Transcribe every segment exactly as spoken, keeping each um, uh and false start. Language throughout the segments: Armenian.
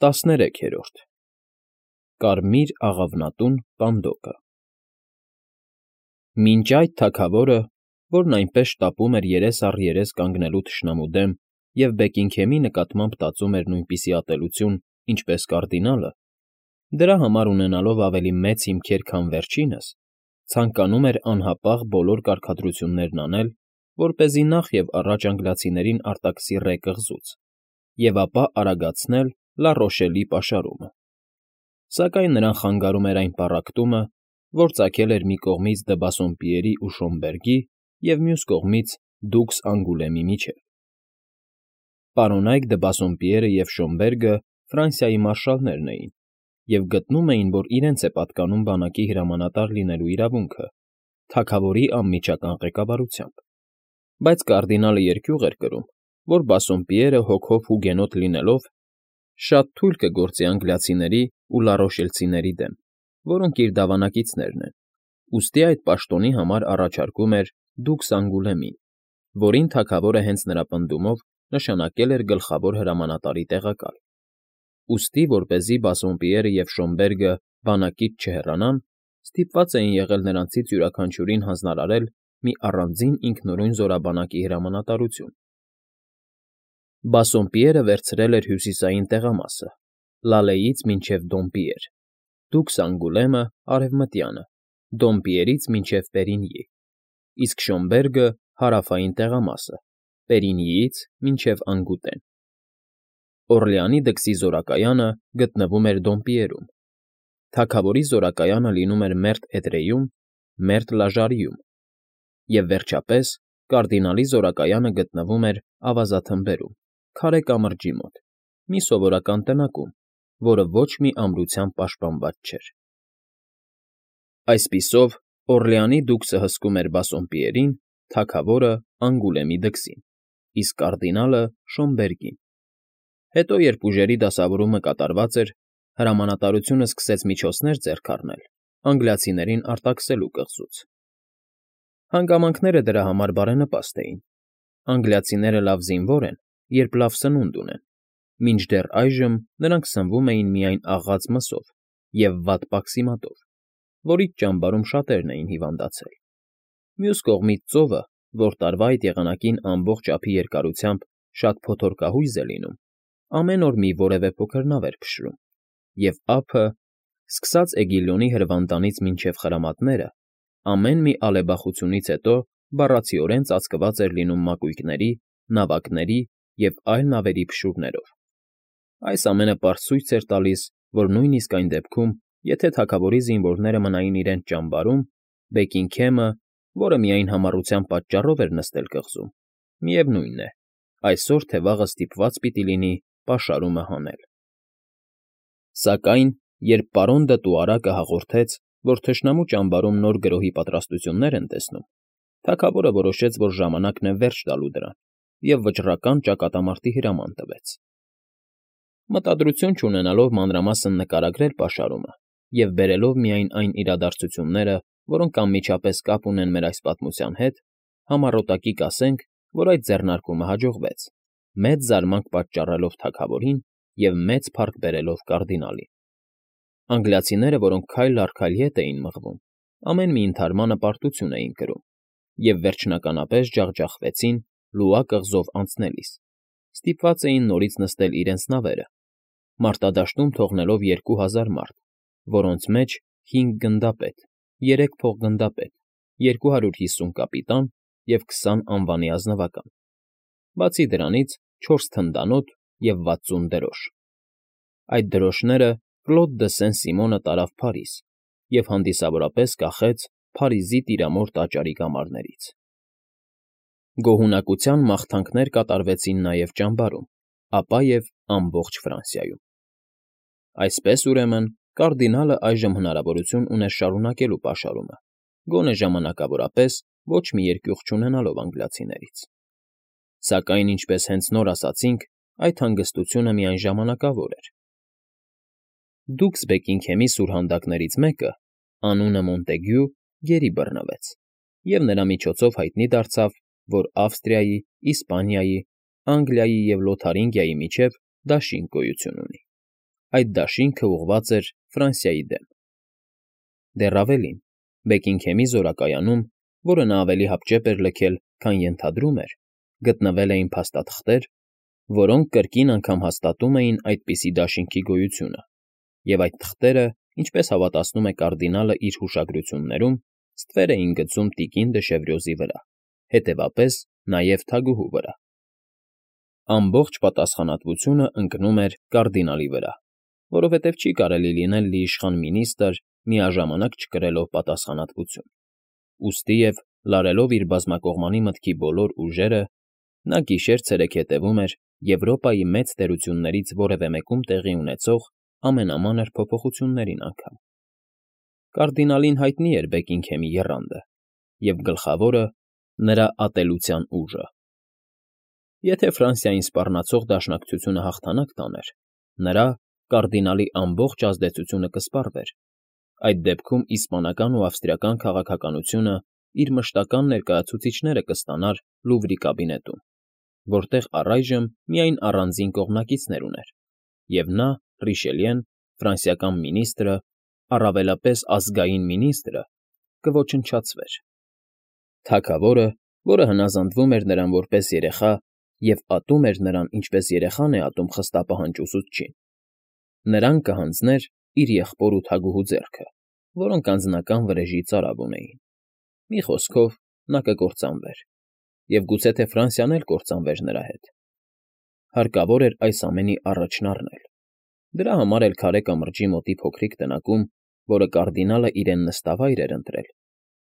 ՏԱՍՆԵՐEՔԵՐՈՐԴ ԿԱՐՄԻՐ ԱՂԱՎՆԱՏՈՒՆ պանդոկը Մինչ այդ թագավորը, որն այնպես շտապում էր երես առ երես կանգնելու թշնամու դեմ և Բեկինգհեմի նկատմամբ տածում էր նույնպիսի ատելություն, ինչպես կարդինալը, դրա համար ունենալով ավելի մեծ հիմքեր, քան վերջինս, ցանկանում էր անհապաղ բոլոր կարգադրություններն անել, որպեսզի նախ և առաջ անգլիացիներին արտաքսի ռե կղզուց և ապա արագացնել Լա Ռոշելի պաշարումը, սակայն նրան խանգարում էր այն պառակտումը, որ ծագել էր մի կողմից դը Բասսոմպիերի ու Շոմբերգի և մյուս կողմից դուքս Անգուլեմի միջև. Պարոնայք դը Բասսոմպիերը և Շոմբերգը Ֆրանսիայի մարշալներն էին և գտնում էին, որ իրենց է պատկանում բանակի հրամանատար լինելու իրավունքը, թագավորի անմիջական ղեկավարությամբ, բայց կարդինալը երկյուղ էր կրում, որ Բասսոմպիերը հոգով հուգենոտ լինելով, շատ թույլ կգործի անգլիացիների ու լառոշելցիների դեմ, որոնք իր դավանակիցներն են, ուստի այդ պաշտոնի համար առաջարկում էր դուքս Անգուլեմին, որին թագավորը հենց նրա պնդումով նշանակել էր գլխավոր հրամանատարի տեղակալ, ուստի, որպեսզի Բասսոմպիերը և Շոմբերգը բանակից չհեռանան, ստիպված էին եղել նրանցից յուրաքանչյուրին հանձնարարել մի առանձին ինքնուրույն զորաբանակի հրամանատարություն. Բասսոմպիերը վերցրել էր հյուսիսային տեղամասը, Լալեից մինչև Դոմպիեր, դուքս Անգուլեմը՝ արևմտյանը, Դոմպիերից մինչև Պերինյի, իսկ Շոմբերգը՝ հարավային տեղամասը, Պերինյիից մինչև Անգուտեն։ Օռլեանի դքսի զորակայանը գտնվում էր Դոմպիերում, թագավորի զորակայանը լինում էր Մերտ Էդրեյում, Մերտ Լաժարիում, և, վերջապես, կարդինալի զորակայանը գտնվում էր ավազաթմբերում, քարե կամրջի մոտ, մի սովորական տնակում, որը ոչ մի ամրությամբ պաշտպանված չէր։ Այսպիսով, Օռլեանի դուքսը հսկում էր Բասսոմպիերին, թագավորը՝ Անգուլեմի դքսին, իսկ կարդինալը՝ Շոմբերգին։ Հետո, երբ ուժերի դասավորումը կատարված էր, հրամանատարությունը սկսեց միջոցներ ձեռք առնել անգլիացիներին արտաքսելու կղզուց։ Հանգամանքները դրա համար բարենպաստ էին. անգլիացիները լավ զինվոր են, երբ լավ սնունդ ունեն, մինչդեռ այժմ նրանք սնվում էին միայն աղաց մսով և վատ պաքսիմատով, որից ճամբարում շատերն էին հիվանդացել։ Մյուս կողմից ծովը, որ տարվա այդ եղանակին ամբողջ ափի երկարությամբ շատ փոթորկահույզ է լինում, ամեն օր մի որևէ փոքր նավ էր փշրում, և ափը, սկսած Էգիլյոնի հրվանդանից մինչև Խրամատները, ամեն մի ալեբախությունից հետո բառացիորեն ծածկված էր լինում մակույկների, նավակների և այլ նավերի փշուրներով։ Այս ամենը պարզ ցույց էր տալիս, որ նույնիսկ այն դեպքում, եթե թագավորի զինվորները մնային իրենց ճամբարում, Բեքինգհեմը, որը միայն համառության պատճառով էր նստել կղզում, միևնույն է, այսօր թե վաղը ստիպված պիտի լինի պաշարումը հանել։ Սակայն, երբ պարոն դը Տուարակը հաղորդեց, որ թշնամու ճամբարում նոր գրոհի պատրաստություններ են տեսնում, թագավորը որոշեց, որ ժամանակն է վերջ տալու դրան և վճռական ճակատամարտի հրաման տվեց։ Մտադրություն չունենալով մանրամասն նկարագրել պաշարումը և բերելով միայն այն իրադարձությունները, որոնք անմիջապես կապ ունեն մեր այս պատմության հետ, համառոտակի կասենք, որ այդ ձեռնարկումը հաջողվեց, մեծ զարմանք պատճառելով թագավորին և մեծ փառք բերելով կարդինալին։ Անգլիացիները, որոնք քայլ առ քայլ ետ էին մղվում, ամեն մի ընդհարմանը պարտություն էին կրում և վերջնականապես ջախջախվեցին Լուա կղզով անցնելիս, ստիպված էին նորից նստել իրենց նավերը, մարտադաշտում թողնելով երկու հազար մարդ, որոնց մեջ հինգ գնդապետ, երեք փոխգնդապետ, երկու հարյուր հիսուն կապիտան և քսան անվանի ազնվական, բացի դրանից չորս թնդանոթ և վաթսուն դրոշ։ Այդ դրոշները Կլոդ դը Սեն֊Սիմոնը տարավ Փարիզ և հանդիսավորապես կախեց Փարիզի տիրամոր տաճարի կամարներից։ Գոհունակության մաղթանքներ կատարվեցին նաև ճամբարում, ապա և ամբողջ Ֆրանսիայում։ Այսպես, ուրեմն, կարդինալը այժմ հնարավորություն ուներ շարունակելու պաշարումը, գոնե ժամանակավորապես ոչ մի երկյուղ չունենալով անգլիացիներից։ Սակայն, ինչպես հենց նոր ասացինք, այդ հանգստությունը միայն ժամանակավոր էր։ Դուքս Բեքինգհեմի սուրհանդակներից մեկը, անունը Մոնտեգյու, գերի բռնվեց, և նրա միջոցով հայտնի դարձավ, որ Ավստրիայի, Իսպանիայի, Անգլիայի և Լոթարինգիայի միջև դաշինք գոյություն ունի։ այդ դաշինքը ուղղված էր Ֆրանսիայի դեմ։ Դեռ ավելին, Բեքինգհեմի զորակայանում, որը նա ավելի հապճեպ էր լքել, քան ենթադրում էր, գտնվել էին փաստաթղթեր, որոնք կրկին անգամ հաստատում էին այդպիսի դաշինքի գոյությունը, և այդ թղթերը, ինչպես հավատացնում է կարդինալը իր հուշագրություններում, ստվեր էին գցում տիկին դը Շևրյոզի վրա, հետևապես նաև թագուհու վրա։ Ամբողջ պատասխանատվությունը ընկնում էր կարդինալի վրա, որովհետև չի կարելի լինել լիիշխան մինիստրը միաժամանակ չկրելով պատասխանատվություն։ Ուստի և, լարելով իր բազմակողմանի մտքի բոլոր ուժերը, նա գիշեր֊ցերեկ հետևում էր Եվրոպայի մեծ տերություններից որևէ մեկում տեղի ունեցող ամենամանր փոփոխություններին անգամ։ Կարդինալին հայտնի էր Բեքինգհեմի եռանդը, և գլխավորը՝ նրա ատելության ուժը։ Եթե Ֆրանսիային սպառնացող դաշնակցությունը հաղթանակ տաներ, նրա՝ կարդինալի ամբողջ ազդեցությունը կսպառվեր, այդ դեպքում իսպանական ու ավստրիական քաղաքականությունը իր մշտական ներկայացուցիչները կստանար Լուվրի կաբինետում, որտեղ առայժմ միայն առանձին կողմնակիցներ ուներ, և նա՝ Ռիշելիեն, ֆրանսիական մինիստրը, առավելապես ազգային մինիստրը, կոչնչացվեր։ Թագավորը, որը հնազանդվում էր նրան որպես երեխա և ատում էր նրան, ինչպես երեխան է ատում խստապահանջ ուսուցչին, նրան կհանձներ իր եղբոր ու թագուհու ձեռքը, որոնք անձնական վրեժի ծարավ ունեին։ Մի խոսքով, նա կկործանվեր, և գուցե թե Ֆրանսիան էլ կործանվեր նրա հետ։ Հարկավոր էր այս ամենի առաջն առնել։ Դրա համար էլ քարե կամրջի մոտի փոքրիկ տնակում, որը կարդինալը իրեն նստավայր էր ընտրել,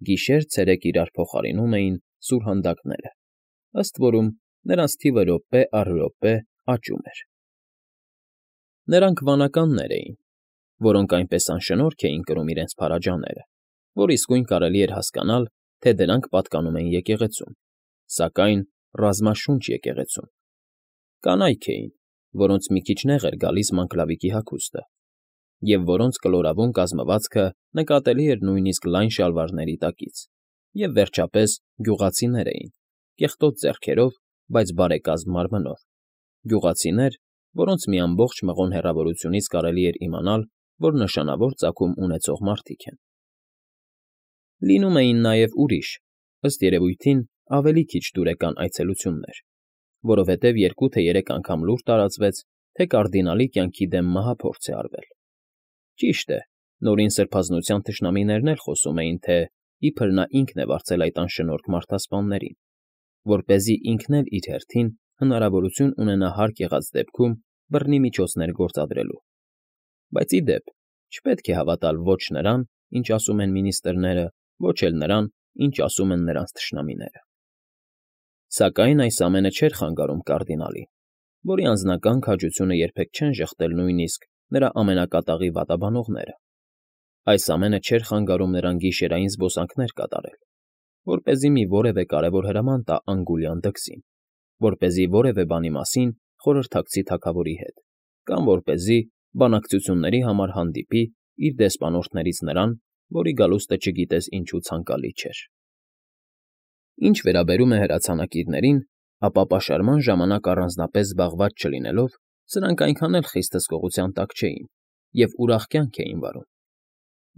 գիշեր֊ցերեկ իրար փոխարինում էին սուրհանդակները, ըստ որում նրանց թիվը րոպե առ րոպե աճում էր։ Նրանք վանականներ էին, որոնք այնպես անշնորհք էին կրում իրենց փարաջաները, որ իսկույն կարելի էր հասկանալ, թե դրանք պատկանում են եկեղեցուն, սակայն ռազմաշունչ եկեղեցուն։ Կանայք էին, որոնց մի քիչ նեղ էր գալիս մանկլավիկի հագուստը, և որոնց կլորավուն կազմվածքը նկատելի էր նույնիսկ լայն շալվարների տակից, և, վերջապես, գյուղացիներ էին, կեղտոտ ձեռքերով, բայց բարեկազմ մարմնով, գյուղացիներ, որոնց մի ամբողջ մղոն հեռավորությունից կարելի էր իմանալ, որ նշանավոր ծագում ունեցող մարդիկ են։ Լինում էին նաև ուրիշ, ըստ երևույթին, ավելի քիչ դուրեկան այցելություններ, որովհետև երկու թե երեք անգամ լուր տարածվեց, թե կարդինալի կյանքի դեմ մահափորձ է արվել։ Ճիշտ է, նորին սրբազնության թշնամիներն էլ խոսում էին, թե իբր նա ինքն է վարձել այդ անշնորհք մարդասպաններին, որպեսզի ինքն էլ իր հերթին հնարավորություն ունենա հարկ եղած դեպքում բռնի միջոցներ գործադրելու։ Բայց, ի դեպ, չպետք է հավատալ ոչ նրան, ինչ ասում են մինիստրները, ոչ էլ նրան, ինչ ասում են նրանց թշնամիները։ Սակայն այս ամենը չէր խանգարում կարդինալին, որի անձնական քաջությունը երբեք չեն ժխտել նույնիսկ նրա ամենակատաղի վատաբանողները։ Այս ամենը չէր խանգարում նրան գիշերային զբոսանքներ կատարել, որպեսզի մի որևէ կարևոր հրաման տա Անգուլյան դքսին, որպեսզի որևէ բանի մասին խորհրդակցի թագավորի հետ, կամ որպեսզի բանակցությունների համար հանդիպի իր դեսպանորդներից նրան, որի գալուստը չգիտես ինչու ցանկալի չէր։ Ինչ վերաբերում է հրացանակիրներին, ապա պաշարման ժամանակ առանձնապես զբաղված չլինելով, սրանք այնքան էլ խիստ հսկողության տակ չէին և ուրախ կյանք էին վարում։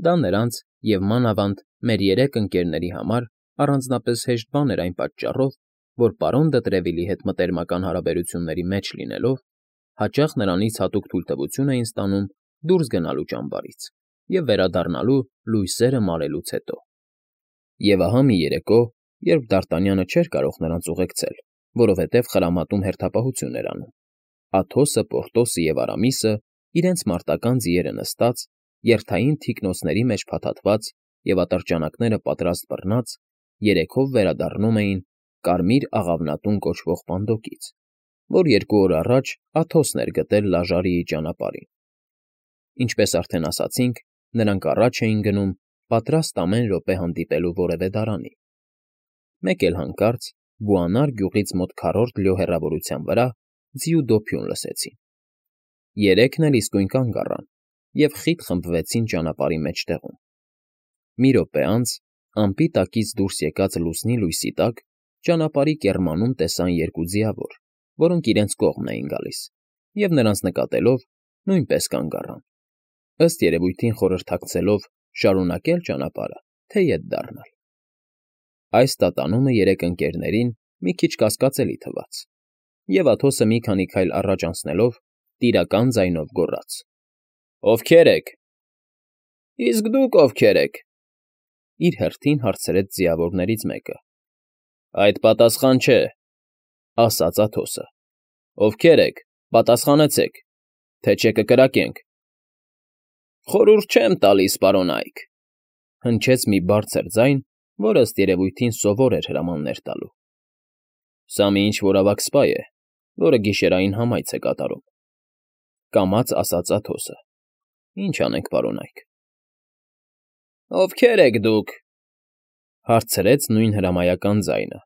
Դա նրանց և, մանավանդ, մեր երեք ընկերների համար առանձնապես հեշտ բան էր այն պատճառով, որ պարոն դը Տրևիլի հետ մտերմական հարաբերությունների մեջ լինելով, հաճախ նրանից հատուկ թույլտվություն էին ստանում դուրս գնալու ճամբարից և վերադառնալու լույսերը մարելուց հետո։ Եվ ահա մի երեկո, երբ Դարտանյանը չէր կարող նրանց ուղեկցել, որովհետև խրամատում հերթապահություն էր անում, Աթոսը, Պորտոսը և Արամիսը, իրենց մարտական ձիերը նստած, երթային թիկնոցների մեջ փաթաթված և ատրճանակները պատրաստ բռնած, երեքով վերադառնում էին Կարմիր աղավնատուն կոչվող պանդոկից, որ երկու օր առաջ Աթոսն էր գտել Լաժարիի ճանապարհին։ Ինչպես արդեն ասացինք, նրանք առաջ էին գնում, պատրաստ ամեն րոպե հանդիպելու որևէ դարանի։ Մեկ էլ հանկարծ Բուանար գյուղից մոտ քառորդ լյո հեռավորության վրա ձիու դոփյուն լսեցին։ Երեքն էլ իսկույն կանգ առան և խիտ խմբվեցին ճանապարհի մեջտեղում։ Մի րոպե անց, ամպի տակից դուրս եկած լուսնի լույսի տակ, ճանապարհի կեռմանում տեսան երկու ձիավոր, որոնք իրենց կողմն էին գալիս, և նրանց նկատելով, նույնպես կանգ առան, ըստ երևույթին խորհրդակցելով շարունակել ճանապարհը, թե ետ դառնալ։ Այս տատանումը երեք ընկերներին մի քիչ կասկածելի թվաց, և Աթոսը մի քանի քայլ առաջ անցնելով տիրական ձայնով գոռաց. «Ովքե՞ր եք»։ «Իսկ դուք ովքե՞ր եք»։ Իր հերթին հարցրեց ձիավորներից մեկը։ «Այդ պատասխան չէ», ասաց Աթոսը։ «Ովքե՞ր եք, պատասխանեցեք, թե չէ կկրակենք»։ «Խորհուրդ չեմ տալիս, պարոն Այք», հնչեց մի բարձր ձայն, որ ըստ երևույթին սովոր էր հրամաններ տալու։ «Սա մի ինչ֊որ ավագ սպա է, որը գիշերային համայց է կատարում», կամաց ասաց Աթոսը։ «Ինչ անենք, պարոն Այք»։ «Ովքե՞ր եք դուք», հարցրեց նույն հրամայական ձայնը։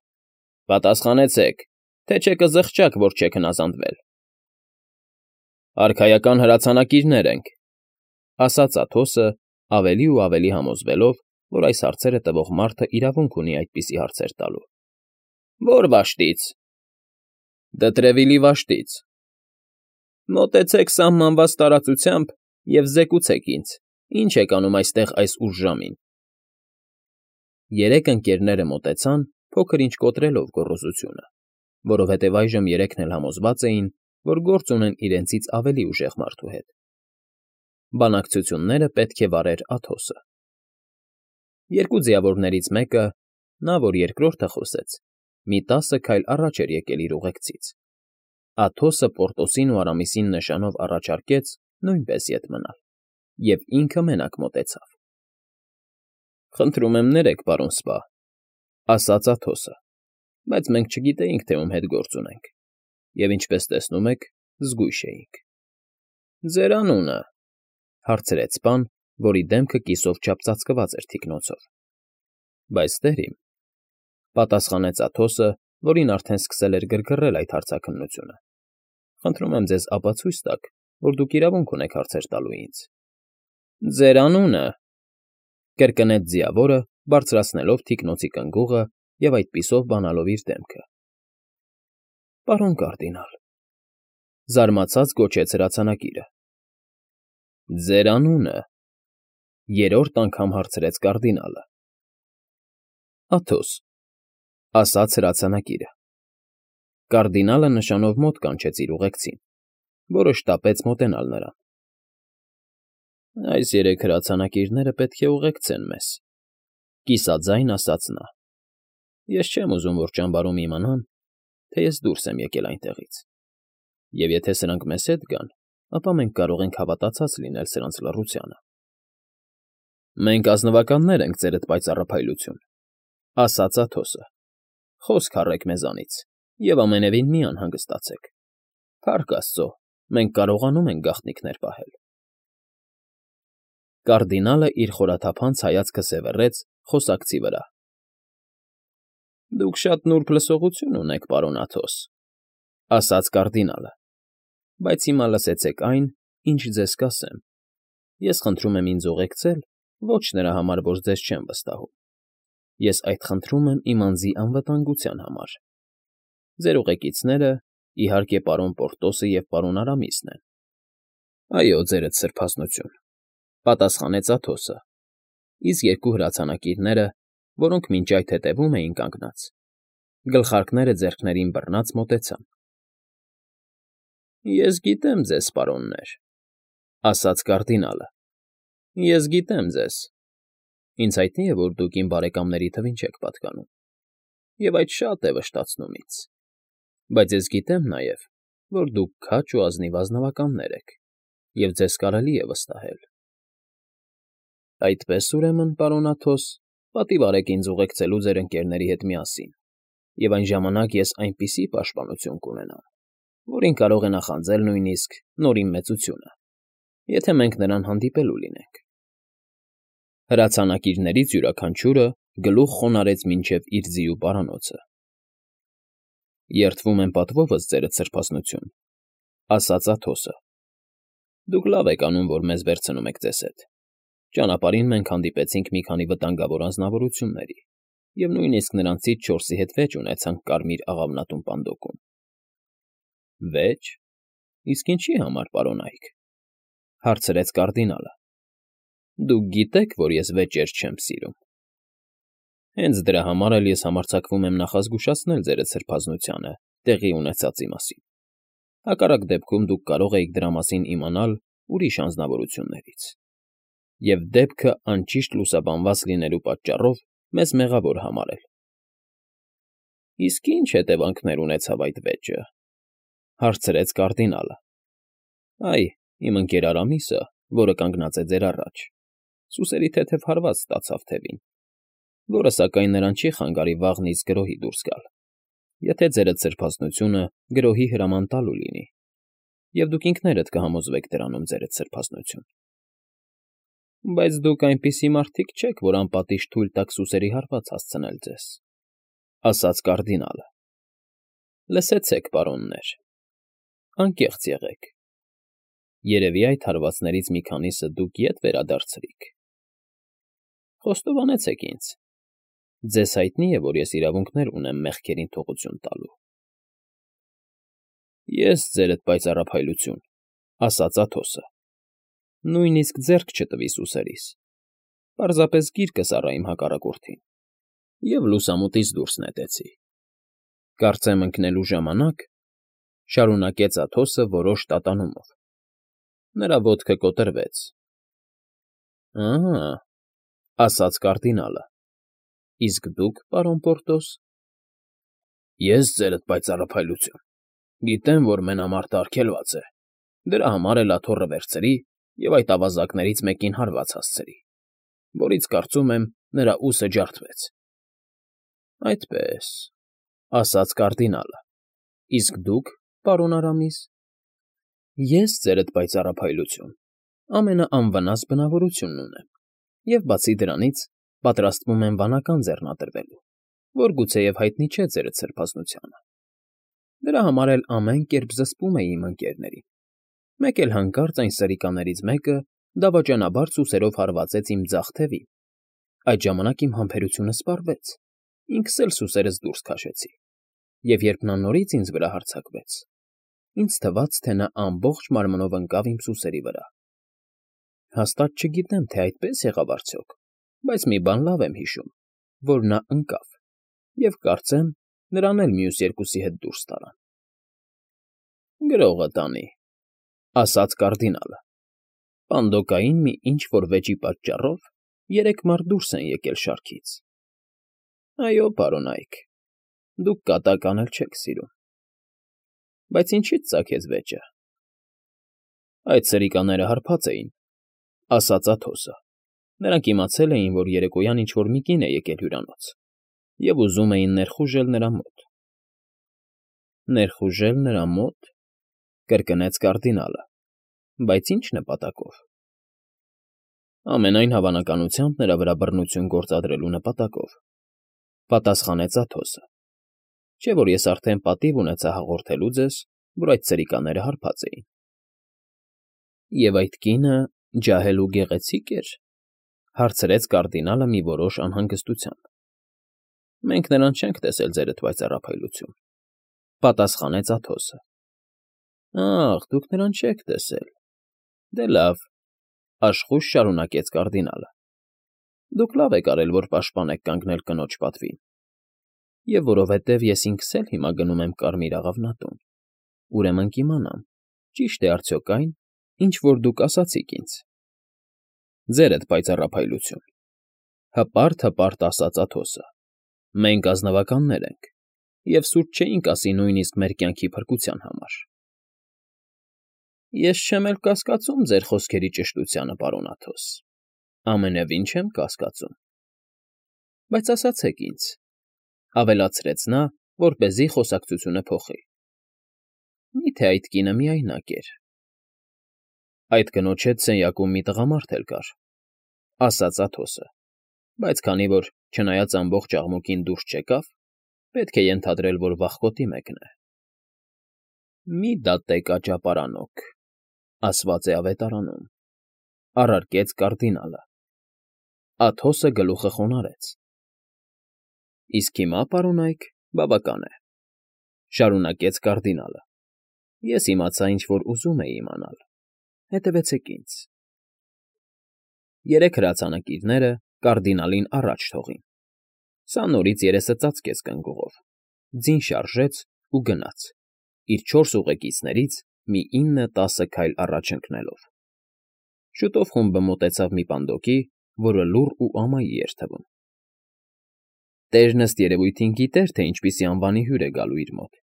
«Պատասխանեցեք, թե չէ կզղջաք, որ չեք հնազանդվել»։ «Արքայական հրացանակիրներ ենք», ասաց Աթոսը, ավելի ու ավելի համոզվելով, որ այս հարցերը տվող մարդը իրավունք ունի այդպիսի հարցեր տալու։ «Ո՞ր վաշտից»։ «Դտրևիլի վաշտից»։ «Մոտեցեք սահմանված տարածությամբ և զեկուցեք ինձ, ինչ եք անում այստեղ այս ուշ ժամին»։ Երեք ընկերները մոտեցան, փոքր֊ինչ կոտրելով գոռոզությունը, որովհետև այժմ երեքն էլ համոզված էին, որ գործ ունեն իրենցից ավելի ուժեղ մարդու հետ։ Բանակցությունները պետք է վարեր Աթոսը։ Երկու ձիավորներից մեկը, նա, որ երկրորդը խոսեց, մի տասը քայլ առաջ էր եկել իր ուղեկցից։ Աթոսը Պորտոսին ու Արամիսին նշանով առաջարկեց նույնպես ետ մնալ, և ինքը մենակ մոտեցավ։ «Խնդրում եմ ներեք, պարոն սպա», ասաց Աթոսը, «բայց մենք չգիտեինք, թե ում հետ գործ ունենք, և, ինչպես տեսնում եք, զգույշ էինք»։ «Ձեր անունը», հարցրեց սպան, որի դեմքը կիսով չափ ծածկված էր թիկնոցով։ «Բայց տեր իմ», պատասխանեց Աթոսը, որին արդեն սկսել էր գրգռել այդ հարցաքննությունը, «խնդրում եմ ձեզ ապացույց տաք, որ դուք իրավունք ունեք հարցեր տալու ինձ»։ «Ձեր անունը», կրկնեց ձիավորը, բարձրացնելով թիկնոցի կնգուղը և այդպիսով բանալով իր դեմքը։ «Պարոն կարդինալ», զարմացած գոչեց հրացանակիրը։ «Ձեր անունը», երրորդ անգամ հարցրեց կարդինալը։ «Աթոս», ասաց հրացանակիրը։ Կարդինալը նշանով մոտ կանչեց իր ուղեկցին, որը շտապեց մոտենալ նրան։ «Այս երեք հրացանակիրները պետք է ուղեկցեն մեզ», կիսաձայն ասաց նա։ «Ես չեմ ուզում, որ ճամբարում իմանան, թե ես դուրս եմ եկել այնտեղից, և եթե սրանք մեզ հետ գան, ապա մենք կարող ենք հավատացած լինել սրանց լռությանը»։ «Մենք ազնվականներ ենք, ձերդ պայծառափայլություն», ասաց Աթոսը։ «Խոսք առեք մեզանից և ամենևին մի անհանգստացեք։ Փառք աստծո, մենք կարողանում ենք գաղտնիքներ պահել»։ Կարդինալը իր խորաթափանց հայացքը սևեռեց խոսակցի վրա։ «Դուք շատ նուրբ լսողություն ունեք, պարոն Աթոս», ասաց կարդինալը, «բայց հիմա լսեցեք այն, ինչ ձեզ կասեմ։ Ես խնդրում եմ ինձ ուղեկցել ոչ նրա համար, որ ձեզ չեմ վստահում. ես այդ խնդրում եմ իմ անձի անվտանգության համար։ Ձեր ուղեկիցները, իհարկե, պարոն Պորտոսը և պարոն Արամիսն են»։ «Այո, ձերդ սրբազնություն», պատասխանեց Աթոսը, իսկ երկու հրացանակիրները, որոնք մինչ այդ հետևում էին կանգնած, գլխարկները ձեռքներին բռնած մոտեցան։ «Ես գիտեմ ձեզ, պարոններ», ասաց կարդինալը։ «Ես գիտեմ ձեզ։ Ինձ հայտնի է, որ դուք իմ բարեկամների թվին չեք պատկանում, և այդ շատ է վշտացնում ինձ։ Բայց ես գիտեմ նաև, որ դուք քաջ ու ազնիվ ազնվականներ եք, և ձեզ կարելի է վստահել։ Այդպես, ուրեմն, պարոն Աթոս, պատիվ արեք ինձ ուղեկցելու ձեր ընկերների հետ միասին, և այն ժամանակ ես այնպիսի պաշտպանություն կունենամ, որին կարող է նախանձել նույնիսկ Նորին Մեծությունը, եթե մենք նրան հանդիպելու լինենք»։ Հրացանակիրներից յուրաքանչյուրը գլուխ խոնարհեց մինչև իր ձիու պարանոցը։ «Երդվում եմ պատվովս, ձերդ սրբազնություն», ասաց Աթոսը։ «Դուք լավ եք անում, որ մեզ վերցնում եք ձեզ հետ։ Ճանապարհին մենք հանդիպեցինք մի քանի վտանգավոր անձնավորությունների, և նույնիսկ նրանցից չորսի հետ վեճ ունեցանք կարմիր աղավնատուն պանդոկում»։ «Վեճ, իսկ ինչի համար, պարոն Այք»։ Հարցրեց կարդինալը։ Դուք գիտեք, որ ես վեճեր չեմ սիրում։ Հենց դրա համար էլ ես համարձակվում եմ նախազգուշացնել ձերդ սրբազնությանը տեղի ունեցածի մասին։ Հակառակ դեպքում դուք կարող եք դրա մասին իմանալ ուրիշ անձնավորություններից և դեպքը անճիշտ լուսաբանված լինելու պատճառով մեզ մեղավոր համարել։ Իսկ ի՞նչ հետևանքներ ունեցավ այդ վեճը,֊ հարցրեց կարդինալը։ Այ, իմ ընկեր Արամիսը, որը կանգնած է ձեր առաջ, սուսերի թեթև հարված ստացավ թևին, որը, սակայն, նրան չի խանգարի վաղնից գրոհի դուրս գալ, եթե ձերդ սրբազնությունը գրոհի հրաման տալու լինի, և դուք ինքներդ կհամոզվեք դրանում ձերդ սրբազնություն։ Բայց դուք այնպիսի մարդիկ չեք, որ անպատիժ թույլ տաք սուսերի հարված հասցնել ձեզ,֊ ասաց կարդինալը։ Լսեցեք, պարոններ, անկեղծ եղեք. երևի այդ հարվածներից մի քանիսը դուք ետ վերադարձրիք։ Խոստովանեցեք ինձ. ձեզ հայտնի է, որ ես իրավունքներ ունեմ մեղքերին թողություն տալու։ Ես, ձերդ պայծառափայլություն,֊ ասաց Աթոսը, նույնիսկ ձեռք չտվի սուսերիս, պարզապես գիրկս առա իմ հակառակորդին և լուսամուտից դուրս նետեցի։ Կարծեմ ընկնելու ժամանակ,֊ շարունակեց Աթոսը որոշ տատանումով,֊ նրա ոտքը կոտրվեց։ Ահա,֊ ասաց կարդինալը,֊ իսկ դուք, պարոն Պորտոս։ Ես, ձերդ պայծառափայլություն, գիտեմ, որ մենամարտը արգելված է, դրա համար էլ աթոռը վերցրի և այդ ավազակներից մեկին հարված հասցրի, որից, կարծում եմ, նրա ուսը ջարդվեց։ Այդպես,֊ ասաց կարդինալը,֊ իսկ դուք, պարոն Արամիս։ Ես, ձերդ պայծառափայլություն, ամենաանվնաս բնավորությունն ունեմ և, բացի դրանից, պատրաստվում եմ վանական ձեռնադրվելու, որ գուցեև հայտնի չէ ձերդ սրբազնությանը։ Դրա համար էլ ամեն կերպ զսպում էի իմ ընկերներին, մեկ էլ հանկարծ այն սրիկաներից մեկը դավաճանաբար սուսերով հարվածեց իմ ձախ թևին, այդ ժամանակ իմ համբերությունը սպառվեց, ինքս էլ սուսերս դուրս քաշեցի, և երբ նա նորից ինձ վրա հարձակվեց, ինձ թվաց, թե նա ամբողջ մարմնով ընկավ իմ սուսերի վրա։ Հաստատ չգիտեմ, թե այդպես եղավ արդյոք, բայց մի բան լավ եմ հիշում, որ նա ընկավ, և կարծեմ, նրան էլ մյուս երկուսի հետ դուրս տարան։ Գրողը տանի,֊ ասաց կարդինալը,֊ պանդոկային մի ինչ֊որ վեճի պատճառով երեք մարդ դուրս են եկել շարքից։ Այո, պարոնայք, դուք կատակ անել չեք սիրում։ Բայց ինչի՞ց ծագեց վեճը։ Այդ սրիկաները հարբած էին,֊ ասաց Աթոսը. նրանք իմացել էին, որ երեկոյան ինչ֊որ մի կին է եկել հյուրանոց և ուզում էին ներխուժել նրա մոտ։ Ներխուժել նրա մո՞տ,֊ կրկնեց կարդինալը,֊ բայց ի՞նչ նպատակով։ Ամենայն հավանականությամբ նրա վրա բռնություն գործադրելու նպատակով,֊ պատասխանեց Աթոսը, չէ՞ որ ես արդեն պատիվ ունեցա հաղորդելու ձեզ, որ այդ սրիկաները հարբած էին։ Եվ այդ կինը ջահել ու գեղեցի՞կ էր,֊ հարցրեց կարդինալը մի որոշ անհանգստությամբ։ Մենք նրան չենք տեսել, ձերդ պայծառափայլություն,֊ պատասխանեց Աթոսը։ Ախ, դուք նրան չեք տեսել։ Դե լավ,֊ աշխույժ շարունակեց կարդինալը, դուք լավ եք արել, որ պաշտպան եք կանգնել կնոջ պատվին, և որովհետև ես ինքս էլ հիմա գնում եմ Կարմիր աղավնատուն, ուրեմն կիմանամ, ճի՞շտ է արդյոք այն, ինչ որ դուք ասացիք ինձ։ Ձերդ պայծառափայլություն,֊ հպարտ֊հպարտ ասաց Աթոսը,֊ մենք ազնվականներ ենք և սուտ չէինք ասի նույնիսկ մեր կյանքի փրկության համար։ Ես չեմ էլ կասկածում ձեր խոսքերի ճշտությանը, պարոն Աթոս, ամենևին չեմ կասկածում։ Բայց ասացեք ինձ,֊ ավելացրեց նա, որպեսզի խոսակցությունը փոխի,֊ մի՞թե այդ կինը միայնակ էր։ Այդ կնոջ հետ սենյակում մի տղամարդ էլ կար,֊ ասաց Աթոսը,֊ բայց քանի որ, չնայած ամբողջ աղմուկին դուրս չեկավ, պետք է ենթադրել, որ վախկոտի մեկն է։ Մի դատեք աճապարանոք, ասված է ավետարանում,֊ առարկեց կարդինալը։ Աթոսը գլուխը խոնարհեց։ Իսկ հիմա, պարոնայք, բավական է,֊ շարունակեց կարդինալը։ Ես իմացա, ինչ որ ուզում էի իմանալ, Հետևեցեք ինձ։ Երեք հրացանակիրները կարդինալին առաջ թողին։ Սա նորից երեսը ծածկեց կնգուղով, ձին շարժեց ու գնաց, իր չորս ուղեկիցներից մի ինը֊տասը քայլ առաջ ընկնելով։ Շուտով խումբը մոտեցավ մի պանդոկի, որը լուռ ու ամայի էր թվում։ Տերն ըստ երևույթին գիտեր, թե ինչպիսի անվանի հյուր է գալու իր մոտ,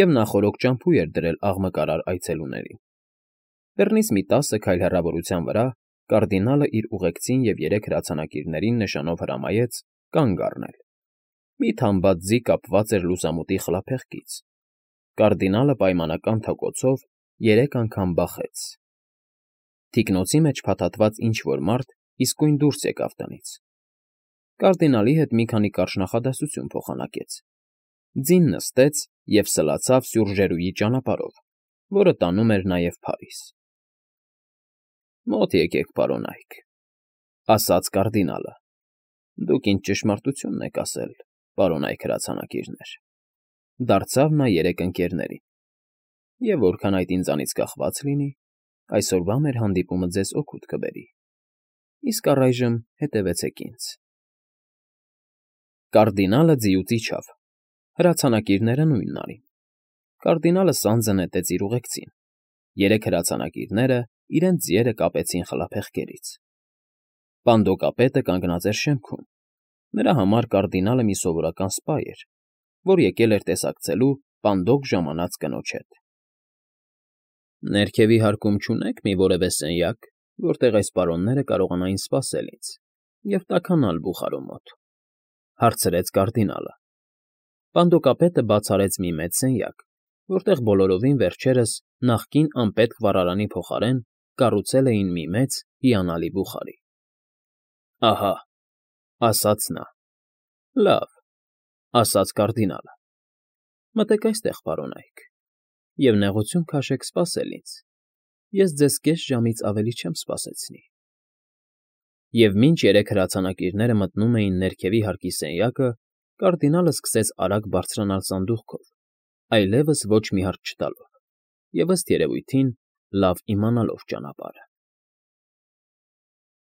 և նախօրոք ճամփու էր դրել աղմկարար այցելուներին։ Բեռնից մի տասը քայլ հեռավորության վրա կարդինալը իր ուղեկցին և երեք հրացանակիրներին նշանով հրամայեց կանգ առնել։ Մի թամբած ձի կապված էր լուսամուտի խլափեղկից։ Կարդինալը պայմանական թոկոցով երեք անգամ բախեց։ Թիկնոցի մեջ փաթաթված ինչ֊որ մարդ իսկույն դուրս եկավ տնից։ Կարդինալի հետ մի քանի կարճ նախադասություն փոխանակեց։ Ձին նստեց և սլացավ սյուռժերուի ճանապարհով, որը տանում էր նաև Փարիզ։ Մոտ եկեք, պարոնայք, ֊ ասաց կարդինալը։ Դուք ինձ ճշմարտությունն եք ասել, պարոնայք հրացանակիրներ, ֊ դարձավ նա երեք ընկերներին։ Եվ որքան այդ ինձանից կախված լինի, այսօրվա մեր հանդիպումը ձեզ օգուտ կբերի։ Իսկ առայժմ հետևեցեք ինձ։ Կարդինալը ձիուց իջավ, հրացանակիրները նույնն արին։ Կարդինալը սանձը նետեց իր ուղեկցին, երեք հրացանակիրները իրենց ձիերը կապեցին խլափեղկերից։ Պանդոկապետը կանգնած էր շեմքում։ Նրա համար կարդինալը մի սովորական սպա էր, որ եկել էր տեսակցելու պանդոկ ժամանած կնոջ հետ։ Ներքևի հարկում չունե՞ք մի որևէ սենյակ, որտեղ այս պարոնները կարողանային սպասել ինձ և տաքանալ բուխարու մոտ, ֊ հարցրեց կարդինալը։ Պանդոկապետը բաց արեց մի մեծ սենյակ, որտեղ բոլորովին վերջերս նախկին անպետք վառարանի փոխարեն կառուցել էին մի մեծ, հիանալի բուխարի։ ֊ Ահա, ֊ ասաց նա։ ֊ Լավ, ֊ ասաց կարդինալը։ Մտեք այստեղ, պարոնայք, և նեղություն քաշեք սպասել ինձ, ես ձեզ կես ժամից ավելի չեմ սպասեցնի։ Եվ մինչ երեք հրացանակիրները մտնում էին ներքևի հարկի սենյակը, կարդինալը սկսեց արագ բարձրանալ սանդուղքով, այլևս ոչ մի հարց չտալով և, ըստ երևույթին, լավ իմանալով ճանապարհը։